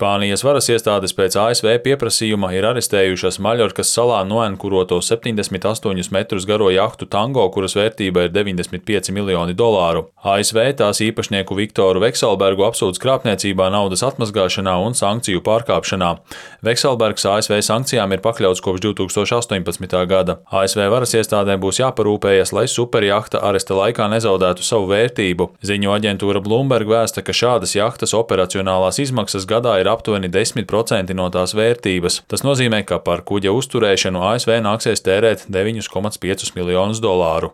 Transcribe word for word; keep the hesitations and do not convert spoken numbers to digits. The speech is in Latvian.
Spānijas varas iestādes pēc A S V pieprasījuma ir arestējušas Maļorkas salā noenkuroto septiņdesmit astoņus metrus garo jahtu Tango, kuras vērtība ir deviņdesmit pieci miljoni dolāru. A S V tās īpašnieku Viktoru Vekselbergu apsūdz krāpniecībā, naudas atmazgāšanā un sankciju pārkāpšanā. Vekselbergs A S V sankcijām ir pakļauts kopš divi tūkstoši astoņpadsmitā gada. A S V varas iestādēm būs jāparūpējas, lai superjahta aresta laikā nezaudētu savu vērtību. Ziņu aģentūra Bloomberg vēsta, ka šādas jahtas operacionālās izmaksas gadā ir aptuveni desmit procenti no tās vērtības. Tas nozīmē, ka par kuģa uzturēšanu A S V nāksies tērēt deviņus komats piecus miljonus dolāru.